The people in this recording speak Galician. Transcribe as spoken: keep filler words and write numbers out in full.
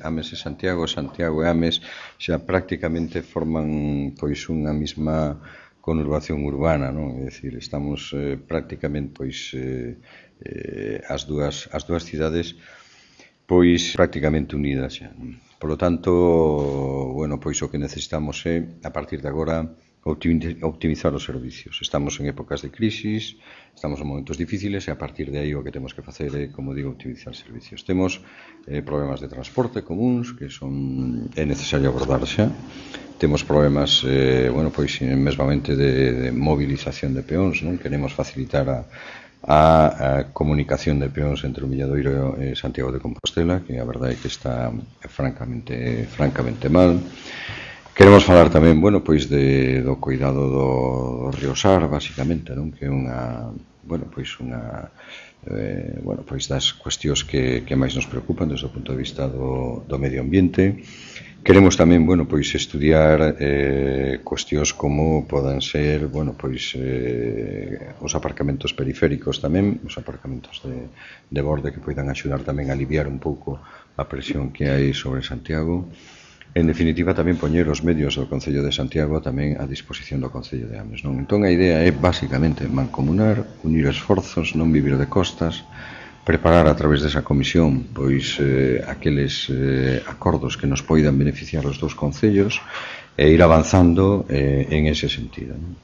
Ames e Santiago, Santiago e Ames xa prácticamente forman pois unha mesma conurbación urbana, non? É dicir, estamos eh, prácticamente pois eh, eh, as dúas as dúas cidades pois prácticamente unidas xa. Por lo tanto, bueno, pois o que necesitamos é a partir de agora optimizar os servicios. Estamos en épocas de crisis, estamos en momentos difíciles e a partir de aí o que temos que facer é, como digo, optimizar servicios. Temos eh, problemas de transporte comuns que son é necesario abordar xa. Temos problemas, eh, bueno, pois mesmamente de, de movilización de peóns, non? Queremos facilitar a a, a comunicación de peóns entre o Milladoiro e Santiago de Compostela, que a verdade é que está francamente francamente mal. Queremos falar tamén, bueno, pois de, do cuidado do, do río Sar, basicamente, non? Que é unha, bueno, pois unha eh, bueno, pois das cuestións que, que máis nos preocupan desde o punto de vista do, do medio ambiente. Queremos tamén, bueno, pois estudiar eh, cuestións como podan ser, bueno, pois eh, os aparcamentos periféricos tamén, os aparcamentos de, de borde que poidan axudar tamén a aliviar un pouco a presión que hai sobre Santiago. En definitiva, tamén poñer os medios do Concello de Santiago tamén a disposición do Concello de Ames, non? Entón, a idea é, basicamente, mancomunar, unir esforzos, non vivir de costas, preparar a través desa comisión pois eh, aqueles eh, acordos que nos poidan beneficiar os dous concellos e ir avanzando eh, en ese sentido, non?